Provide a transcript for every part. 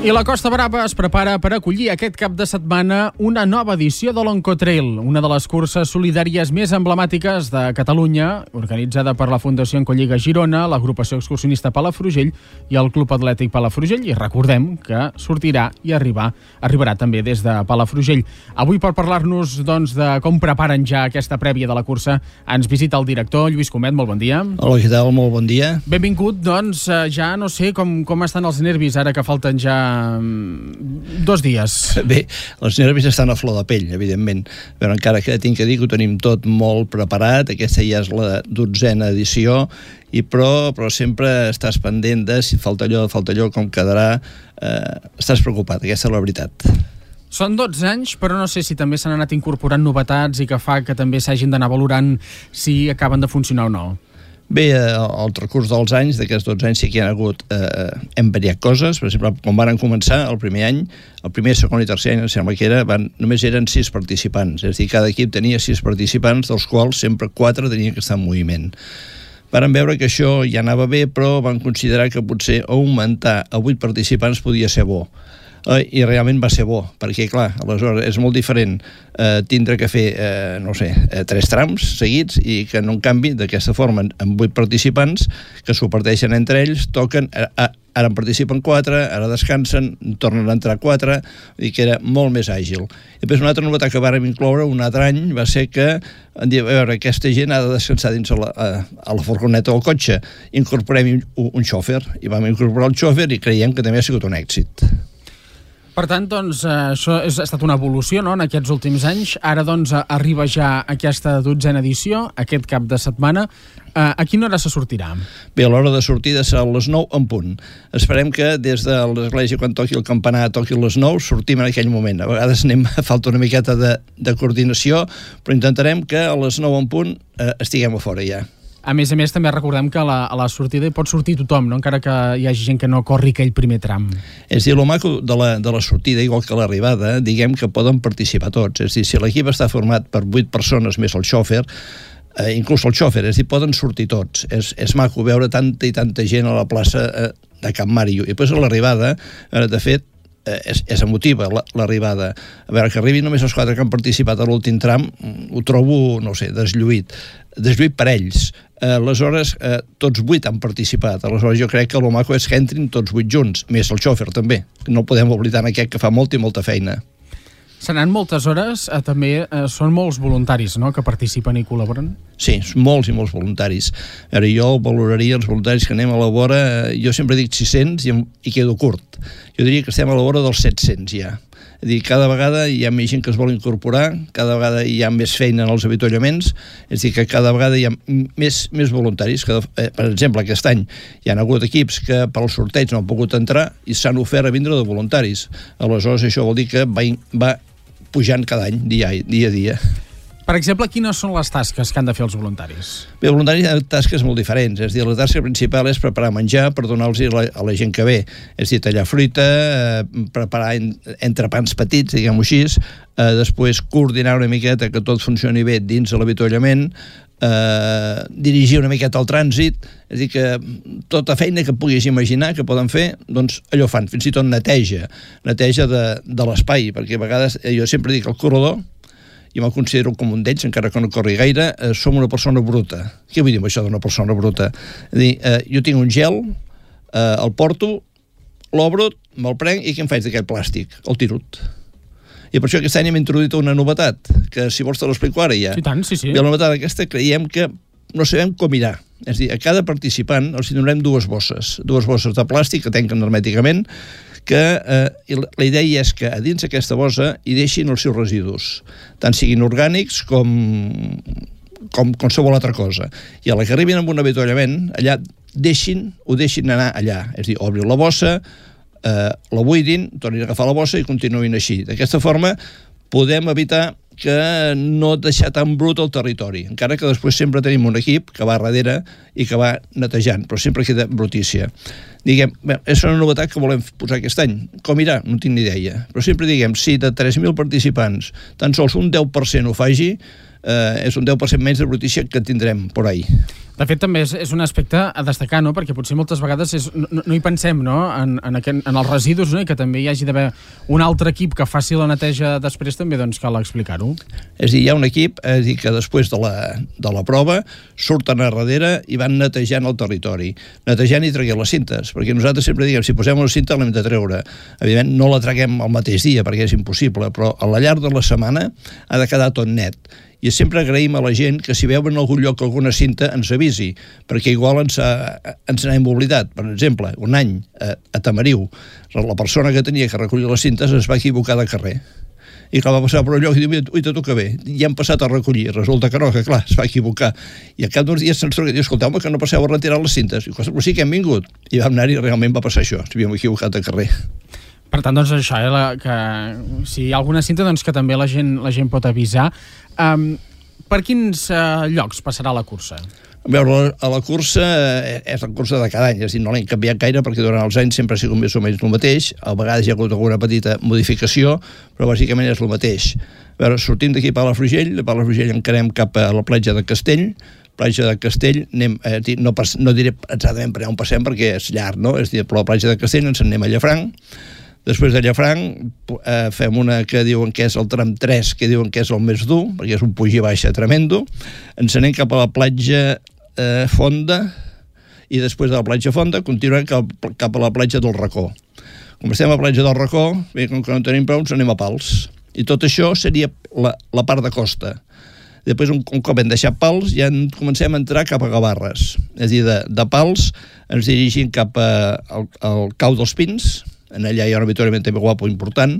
I la Costa Brava es prepara per acollir aquest cap de setmana una nova edició de l'Oncotrail, una de les curses solidàries més emblemàtiques de Catalunya, organitzada per la Fundació Encolliga Girona, l'agrupació excursionista Palafrugell i el Club Atlètic Palafrugell. I recordem que sortirà i arribarà també des de Palafrugell. Avui, per parlar-nos de com preparen ja aquesta prèvia de la cursa, ens visita el director Lluís Comet. Molt bon dia. Hola, què tal? Molt bon dia. Benvingut, ja no sé com estan els nervis ara que falten ja 2 dies. Bé, els nervis estan a flor de pell, evidentment, però encara que tinc que dir que ho tenim tot molt preparat. Aquesta ja és la 12a edició, però sempre estàs pendent de si falta allò, com quedarà. Estàs preocupat, aquesta és la veritat. Són 12 anys, però no sé si també s'han anat incorporant novetats i que fa que també s'hagin d'anar valorant si acaben de funcionar o no. Bé, al transcurs dels anys, d'aquests 12 anys sí que hi ha hagut, hem variat coses. Per exemple, quan van començar el primer any, el primer, segon i tercer any, em sembla que només eren 6 participants, és a dir, cada equip tenia 6 participants, dels quals sempre 4 tenien que estar en moviment. Varen veure que això ja anava bé, però van considerar que potser augmentar a 8 participants podia ser bo. I realment va ser bo, perquè clar, aleshores és molt diferent tindre que fer, 3 trams seguits i que en un canvi d'aquesta forma amb 8 participants que s'ho parteixen entre ells, toquen, ara en participen 4, ara descansen, tornen a entrar 4, vull dir que era molt més àgil. I després una altra novetat que vàrem incloure un altre any va ser que a veure, aquesta gent ha de descansar dins a la furgoneta o el cotxe, incorporem un xòfer, i vam incorporar el xòfer i creiem que també ha sigut un èxit. Per tant, això ha estat una evolució, no?, en aquests últims anys. Ara, arriba ja aquesta 12a edició, aquest cap de setmana. A quina hora se sortirà? Bé, a l'hora de sortida serà a les 9 en punt. Esperem que des de l'església, quan toqui el campanar, toqui a les 9, sortim en aquell moment. A vegades falta una miqueta de coordinació, però intentarem que a les 9 en punt estiguem a fora ja. A més, també recordem que a la sortida hi pot sortir tothom, no?, encara que hi hagi gent que no corri aquell primer tram. És a dir, el maco de la sortida, igual que l'arribada, diguem que poden participar tots. És a dir, si l'equip està format per 8 persones més el xòfer, inclús el xòfer, és a dir, poden sortir tots. És maco veure tanta i tanta gent a la plaça de Can Màrio. I després a l'arribada, de fet, és emotiva l'arribada. A veure, que arribin només els 4 que han participat a l'últim tram, ho trobo, deslluït per ells. Aleshores, tots 8 han participat. Aleshores, jo crec que el maco és que entrin tots 8 junts, més el xòfer també. No podem oblidar aquest que fa molta i molta feina. Seran moltes hores, també són molts voluntaris, no?, que participen i col·laboren? Sí, molts i molts voluntaris. A veure, jo valoraria els voluntaris que anem a la vora, jo sempre dic 600 i quedo curt. Jo diria que estem a la vora dels 700 ja. És a dir, cada vegada hi ha més gent que es vol incorporar, cada vegada hi ha més feina en els avituallaments, és a dir, que cada vegada hi ha més voluntaris. Per exemple, aquest any hi ha hagut equips que per al sorteig no han pogut entrar i s'han ofert a vindre de voluntaris. Aleshores, això vol dir que va pujant cada any, dia a dia. Per exemple, quines són les tasques que han de fer els voluntaris? Bé, els voluntaris han tasques molt diferents. És a dir, la tasca principal és preparar menjar per donar-los a la gent que ve. És a dir, tallar fruita, preparar entrepans petits, diguem-ho així, després coordinar una miqueta que tot funcioni bé dins de l'avituallament, dirigir una miqueta el trànsit, és a dir, que tota feina que puguis imaginar que poden fer, doncs allò fan, fins i tot neteja de l'espai, perquè a vegades jo sempre dic el corredor, i me'l considero com un d'ells, encara que no corri gaire, som una persona bruta. Què vull dir amb això d'una persona bruta? És a dir, jo tinc un gel, el porto, l'obro, me'l prenc i què em faig d'aquest plàstic? El tirut. I per això aquest any hem introduït una novetat, que si vols te l'explico ara ja. Sí, tant, sí. I la novetat aquesta creiem que no sabem com irà. És a dir, a cada participant els donarem 2 bosses de plàstic que tanquen hermèticament, que la idea és que a dins d'aquesta bossa hi deixin els seus residus, tant siguin orgànics com qualsevol altra cosa. I a la que arribin amb un avituallament, allà ho deixin anar allà. És a dir, obrin la bossa, la buidin, tornin a agafar la bossa i continuïn així. D'aquesta forma podem evitar que no deixar tan brut el territori, encara que després sempre tenim un equip que va darrere i que va netejant, però sempre queda brutícia. Diguem, és una novetat que volem posar aquest any. Com irà? No tinc ni idea. Però sempre diguem, si de 3.000 participants tan sols un 10% ho faci, és un 10% menys de brutícia que tindrem por ahí. De fet, també és un aspecte a destacar, no? Perquè potser moltes vegades no hi pensem, no? En els residus, no? I que també hi hagi d'haver un altre equip que faci la neteja després, també doncs cal explicar-ho. És a dir, hi ha un equip que després de la prova surten a darrere i van netejant el territori, netejant i traient les cintes, perquè nosaltres sempre diguem, si posem una cinta l'hem de treure. Evidentment, no la traguem el mateix dia, perquè és impossible, però a la llarg de la setmana ha de quedar tot net. I sempre agraïm a la gent que si veuen en algun lloc alguna cinta ens avisi, perquè igual ens n'hem oblidat. Per exemple, un any a Tamariu, la persona que tenia que recollir les cintes es va equivocar de carrer. I clar, va passar per un lloc i diu, ui, tot que bé, ja hem passat a recollir. Resulta que no, que clar, es va equivocar. I al cap d'uns dies se'ns truca i diu, escolteu-me, que no passeu a retirar les cintes. I però sí que hem vingut. I vam anar i realment va passar això, s'havíem equivocat de carrer. Per tant, doncs això, que si hi ha alguna cinta, doncs que també la gent pot avisar. Per quins llocs passarà la cursa? A veure, la cursa és la cursa de cada any, és a dir, no l'hem canviat gaire perquè durant els anys sempre ha sigut més o menys el mateix, a vegades hi ha hagut alguna petita modificació, però bàsicament és el mateix. A veure, sortim d'aquí a Palafrugell, de Palafrugell encarem cap a la platja de Castell, anem, no diré exactament per on passem perquè és llarg, no? És a dir, per la platja de Castell ens anem a Llafranc. Després de Llafranc fem una que diuen que és el tram 3, que diuen que és el més dur, perquè és un puig i baixa tremendo. Ens anem cap a la platja Fonda i després de la platja Fonda continuem cap a la platja del Racó. Com estem a la platja del Racó, bé, com que no tenim prou, ens anem a Pals. I tot això seria la part de costa. Després, un cop hem deixat Pals, ja comencem a entrar cap a Gavarres. És a dir, de Pals ens dirigim cap al Cau dels Pins. Allà hi ha un avituallament també guapo important.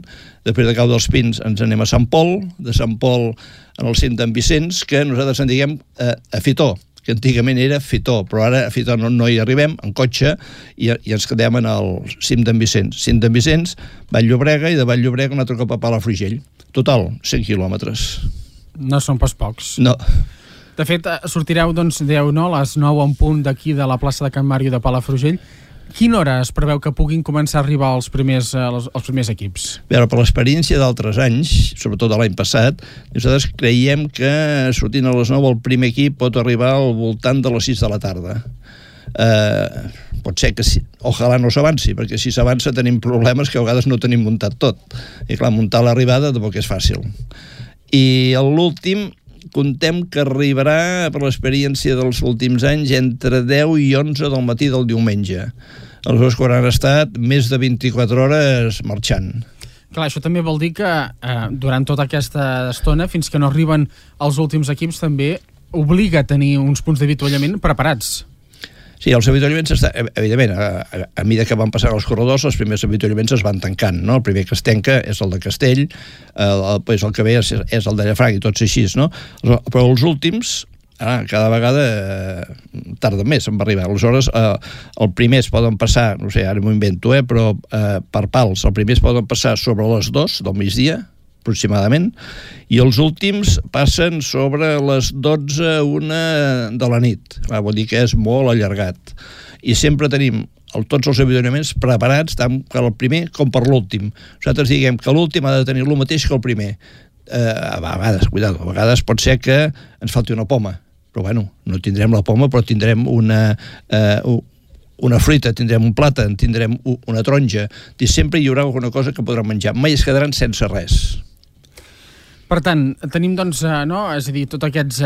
Després de Cau dels Pins ens anem a Sant Pol, de Sant Pol en el cim d'en Vicenç, que nosaltres en diguem a Fitó, que antigament era Fitó, però ara a Fitó no hi arribem en cotxe i ens quedem en el cim d'en Vicenç. Cim d'en Vicenç, Vall-llobrega, i de Vall-llobrega un altre cop a Palafrugell. Total, 100 quilòmetres. No són pas pocs. No. De fet, sortireu, doncs, dèieu, no?, a les 9 en punt d'aquí de la plaça de Can Màrio de Palafrugell. Quina hora es preveu que puguin començar a arribar els primers equips? A veure, per l'experiència d'altres anys, sobretot l'any passat, nosaltres creiem que sortint a les 9 el primer equip pot arribar al voltant de les 6 de la tarda. Pot ser que sí, ojalà no s'avanci, perquè si s'avança tenim problemes que a vegades no tenim muntat tot. I clar, muntar l'arribada tampoc és fàcil. I l'últim contem que arribarà, per l'experiència dels últims anys, entre 10 i 11 del matí del diumenge. Aleshores, quan han estat més de 24 hores marxant. Clar, això també vol dir que durant tota aquesta estona, fins que no arriben els últims equips, també obliga a tenir uns punts d'avituallament preparats. Sí, els avituallaments, evidentment, a mesura que van passant els corredors, els primers avituallaments es van tancant, no? El primer que es tanca és el de Castell, el que ve és el de Llafranc i tots així, no? Però els últims, cada vegada tarda més en arribar. Aleshores, el primer es poden passar, no sé, ara m'ho invento, però per Pals, el primer es poden passar sobre les 2 del migdia, aproximadament, i els últims passen sobre les 12, 1 de la nit. Vol dir que és molt allargat. I sempre tenim tots els avituallaments preparats tant per el primer com per l'últim. Nosaltres diguem que l'últim ha de tenir el mateix que el primer. A vegades pot ser que ens falti una poma, però bueno, no tindrem la poma, però tindrem una fruita, tindrem un plàtan, tindrem una taronja, i sempre hi haurà alguna cosa que podran menjar. Mai es quedaran sense res. Per tant, tenim, doncs, és a dir, tots aquests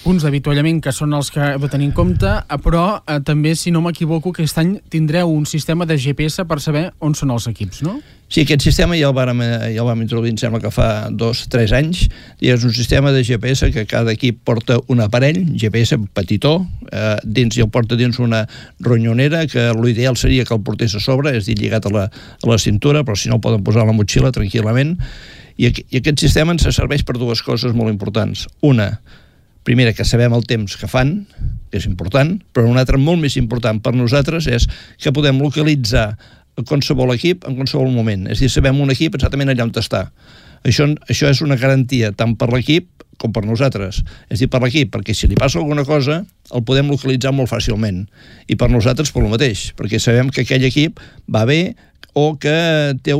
punts d'avituallament que són els que heu de tenir en compte, però també, si no m'equivoco, aquest any tindreu un sistema de GPS per saber on són els equips, no? Sí, aquest sistema ja el vam introduir, em sembla que fa 2-3 anys, i és un sistema de GPS que cada equip porta un aparell, GPS petitó, dins i el porta dins una ronyonera, que l'ideal seria que el portés a sobre, és a dir, lligat a la cintura, però si no el poden posar a la motxilla tranquil·lament. I aquest sistema ens serveix per dues coses molt importants. Una, primera, que sabem el temps que fan, que és important, però una altra molt més important per nosaltres és que podem localitzar qualsevol equip en qualsevol moment. És a dir, sabem un equip exactament allà on està. Això és una garantia tant per l'equip com per nosaltres. És a dir, per l'equip, perquè si li passa alguna cosa el podem localitzar molt fàcilment. I per nosaltres per el mateix, perquè sabem que aquell equip va bé o que té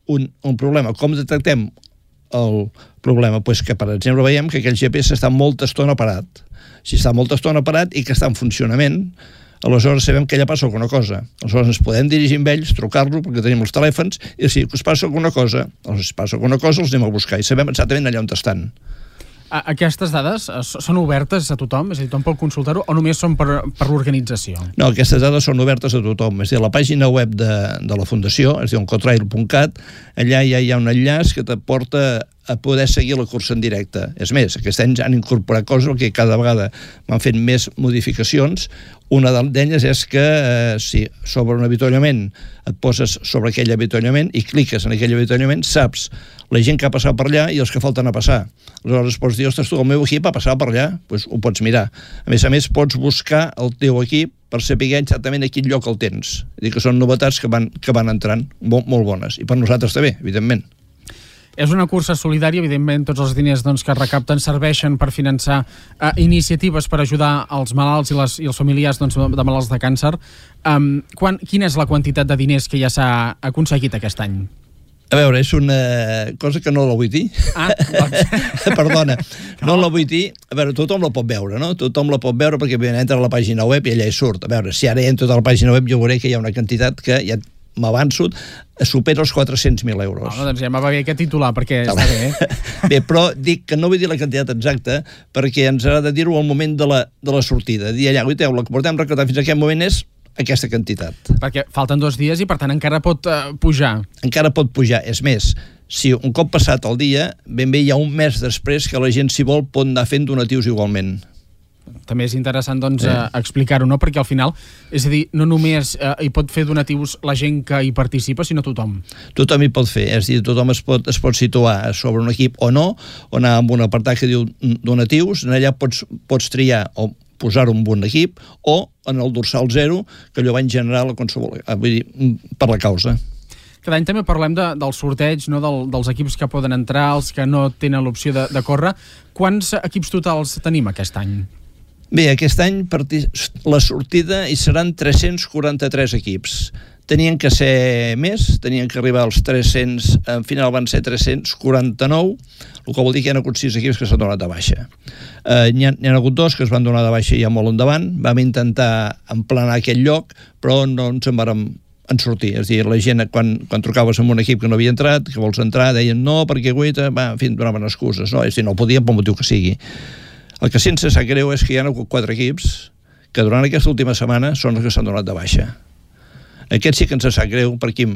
un problema. Com detectem el problema? Pues que, per exemple, veiem que aquell GPS està molta estona parat. Si està molta estona parat i que està en funcionament, aleshores sabem que allà passa alguna cosa. Aleshores ens podem dirigir amb ells, trucar-lo, perquè tenim els telèfons, i si us passa alguna cosa, els anem a buscar i sabem exactament allà on estan. Aquestes dades són obertes a tothom? És a dir, tothom pot consultar-ho o només són per l'organització? No, aquestes dades són obertes a tothom. És a dir, la pàgina web de la Fundació, és a dir, oncotrail.cat, allà ja hi ha un enllaç que te porta a poder seguir la cursa en directe. És més, aquest any han incorporat coses que cada vegada m'han fet més modificacions. Una d'elles és que si sobre un avituallament et poses sobre aquell avituallament i cliques en aquell avituallament, saps la gent que ha passat per allà i els que falten a passar. Aleshores pots dir, ostres, tu, el meu equip ha passat per allà, doncs ho pots mirar. A més, pots buscar el teu equip per saber exactament a quin lloc el tens. És a dir, que són novetats que van entrant molt bones. I per nosaltres també, evidentment. És una cursa solidària, evidentment tots els diners que es recapten serveixen per finançar iniciatives per ajudar els malalts i els familiars de malalts de càncer. Quina és la quantitat de diners que ja s'ha aconseguit aquest any? A veure, és una cosa que no la vull dir. Perdona, no la vull dir. A veure, tothom la pot veure, no? Tothom la pot veure perquè entra a la pàgina web i allà hi surt. A veure, si ara entro a la pàgina web jo veuré que hi ha una quantitat que ja m'avanço, supera els 400.000 euros. Doncs ja m'ha bé aquest titular, perquè està bé. Bé, però dic que no vull dir la quantitat exacta perquè ens ha de dir-ho al moment de la sortida. Dir allà, guaiteu, la que portem recaptat fins a aquest moment és aquesta quantitat. Perquè falten 2 dies i, per tant, encara pot pujar. Encara pot pujar. És més, si un cop passat el dia, ben bé hi ha un mes després que la gent, si vol, pot anar fent donatius igualment. També és interessant, explicar-ho, no? Perquè al final, és a dir, no només hi pot fer donatius la gent que hi participa, sinó tothom. Tothom hi pot fer, és a dir, tothom es pot situar sobre un equip o no, o anar amb un apartat que diu donatius, allà pots triar o posar-ho en un equip, o en el dorsal 0, que allò va en general vull dir, per la causa. Cada any també parlem del sorteig, no? dels equips que poden entrar, els que no tenen l'opció de córrer. Quants equips totals tenim aquest any? Bé, aquest any la sortida hi seran 343 equips. Tenien que ser més, tenien que arribar als 300, al final van ser 349, el que vol dir que hi ha hagut 6 equips que s'han donat de baixa. N'hi ha hagut 2 que es van donar de baixa ja molt endavant, vam intentar emplenar aquell lloc, però no ens en vàrem sortir. És a dir, la gent, quan trucaves amb un equip que no havia entrat, que vols entrar, deien no, perquè guaita, en fi, donaven excuses, no? És a dir, no podien pel motiu que sigui. El que sí ens sap greu és que hi ha hagut 4 equips que durant aquesta última setmana són els que s'han donat de baixa. Aquest sí que ens sap greu. Per què?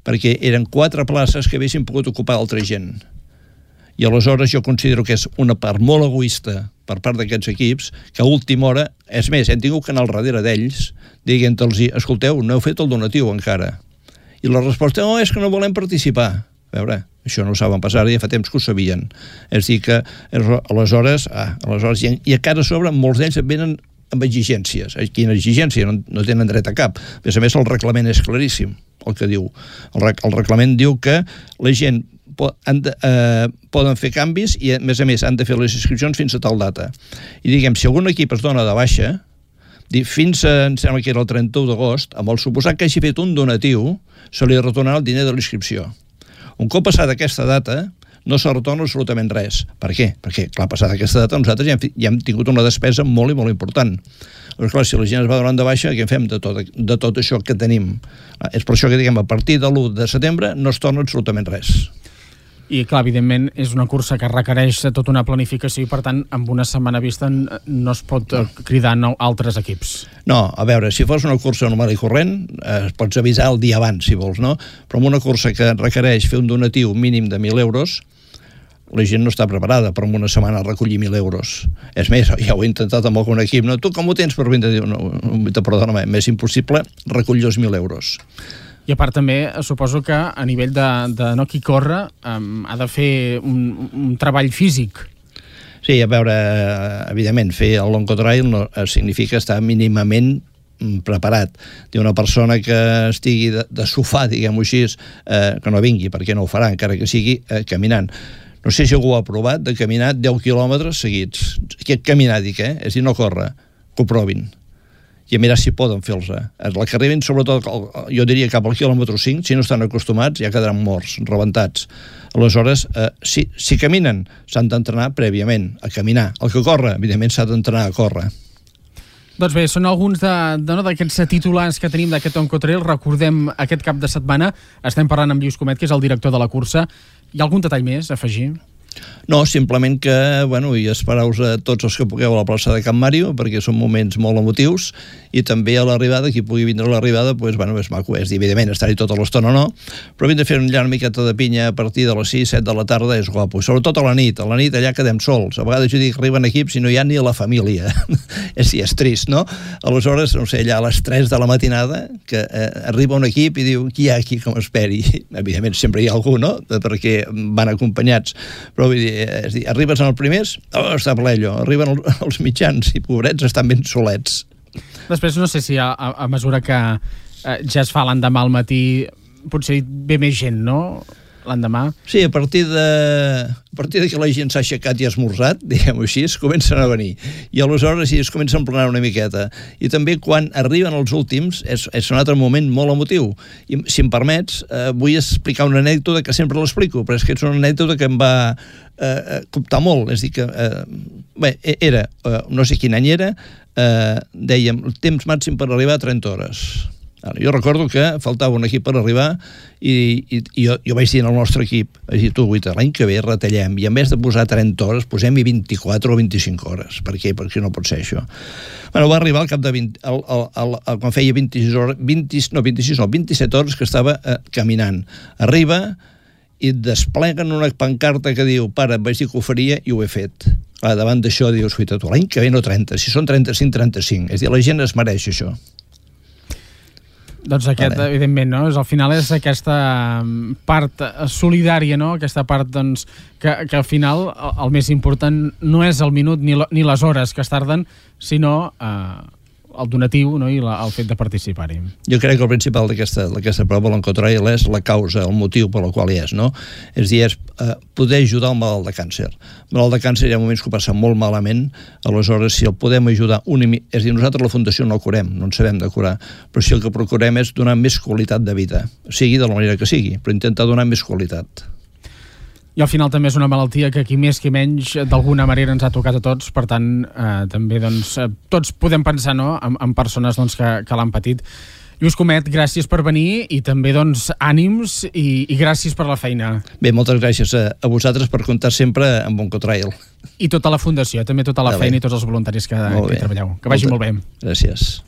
Perquè eren 4 places que haguessin pogut ocupar altra gent. I aleshores jo considero que és una part molt egoista per part d'aquests equips, que a última hora, és més, hem tingut que anar al darrere d'ells, dient-los, escolteu, no heu fet el donatiu encara. I la resposta, és que no volem participar. A veure, això no ho saben passar, ja fa temps que ho sabien. És a dir que, aleshores, i a cara sobre, molts d'ells venen amb exigències. Quina exigència? No tenen dret a cap. A més, el reglament és claríssim, el que diu. El reglament diu que la gent poden fer canvis i, a més, han de fer les inscripcions fins a tal data. I diguem, si algun equip es dona de baixa, fins em sembla que era el 31 d'agost, amb el suposat que hagi fet un donatiu, se li retornarà el diner de l'inscripció. Un cop passada aquesta data, no se retorna absolutament res. Per què? Perquè, clar, passada aquesta data, nosaltres ja hem tingut una despesa molt i molt important. Però, clar, si la gent es va donant de baixa, què en fem de tot això que tenim? És per això que, diguem, a partir de l'1 de setembre no es torna absolutament res. I, clar, evidentment, és una cursa que requereix tota una planificació i, per tant, amb una setmana vista no es pot cridar altres equips. No, a veure, si fos una cursa normal i corrent, pots avisar el dia abans, si vols, no? Però en una cursa que requereix fer un donatiu mínim de 1.000 euros, la gent no està preparada per en una setmana recollir 1.000 euros. És més, ja ho he intentat amb algun equip, no? Tu com ho tens per 20? No, perdona, m'és impossible recollir els 1.000 euros. I a part també suposo que a nivell de no qui corre ha de fer un treball físic. Sí, a veure, evidentment, fer el l'oncotrail no significa estar mínimament preparat. Una persona que estigui de sofà, diguem-ho així, que no vingui, perquè no ho farà, encara que sigui caminant. No sé si algú ha provat de caminar 10 quilòmetres seguits. Caminar, dic, és a dir, no córrer, que ho provin. I a mirar si poden fer-los. La que arriben, sobretot, jo diria cap al quilòmetre 5, si no estan acostumats, ja quedaran morts, rebentats. Aleshores, si caminen, s'han d'entrenar prèviament a caminar. El que corre, evidentment, s'ha d'entrenar a córrer. Doncs bé, són alguns d'aquests titulars que tenim d'aquest Oncotrail. Recordem, aquest cap de setmana estem parlant amb Lluís Comet, que és el director de la cursa. Hi ha algun detall més a afegir? No, simplement que, i espereu-vos a tots els que pugueu a la plaça de Can Màrio, perquè són moments molt emotius, i també a l'arribada, qui pugui vindre a l'arribada, és maco, evidentment, estar-hi tota l'estona o no, però vindre a fer una miqueta de pinya a partir de les 6-7 de la tarda és guapo, i sobretot a la nit allà quedem sols, a vegades jo dic que arriben equips i no hi ha ni a la família, és trist, no? Aleshores, no sé, allà a les 3 de la matinada, que arriba un equip i diu, qui hi ha aquí que m'esperi? Evidentment sempre hi ha algú, no? Perquè van acompanyats, però vull dir, arribes en els primers, està plello, arriben els mitjans i pobrets estan ben solets. Després no sé si a mesura que ja es fa l'endemà al matí potser ve més gent, no? L'endemà. Sí, a partir de que la gent s'ha aixecat i ha esmorzat, diguem-ho així, es comencen a venir. I aleshores sí, es comença a emplenar una miqueta. I també quan arriben els últims és un altre moment molt emotiu. I si em permets, vull explicar una anècdota que sempre l'explico, però és que és una anècdota que em va coptar molt. És a dir que, era, no sé quin any era, dèiem, el temps màxim per arribar a 30 hores. Jo recordo que faltava un equip per arribar i jo vaig dir al nostre equip, vaig dir, tu, Guita, l'any que ve retallem i en vez de posar 30 hores posem-hi 24 o 25 hores. Per què? Perquè no pot ser això. Va arribar al cap de 20, quan feia 27 hores que estava caminant. Arriba i despleguen una pancarta que diu, pare, vaig dir que ho faria i ho he fet. Davant d'això dius, tu, l'any que ve no 30, si són 35, 35. És a dir, la gent es mereix això. Doncs evidentment, no? Al final és aquesta part solidària, no? Aquesta part, doncs, que al final el més important no és el minut ni les hores que es tarden, sinó el donatiu, no? I el fet de participar-hi. Jo crec que el principal d'aquesta prova, l'Oncotrail, és la causa, el motiu per la qual hi és, no? És a dir, és poder ajudar el malalt de càncer. El malalt de càncer hi ha moments que ho passa molt malament, aleshores si el podem ajudar, és a dir, nosaltres la Fundació no el curem, no en sabem de curar, però si el que procurem és donar més qualitat de vida, sigui de la manera que sigui, però intentar donar més qualitat. I al final també és una malaltia que qui més qui menys d'alguna manera ens ha tocat a tots, per tant també doncs, tots podem pensar, no? en persones doncs, que l'han patit. Lluís Comet, gràcies per venir i també doncs, ànims i gràcies per la feina. Bé, moltes gràcies a vosaltres per comptar sempre amb Oncotrail. I tota la Fundació, també tota la feina i tots els voluntaris que hi treballeu. Que vagi molt bé. Gràcies.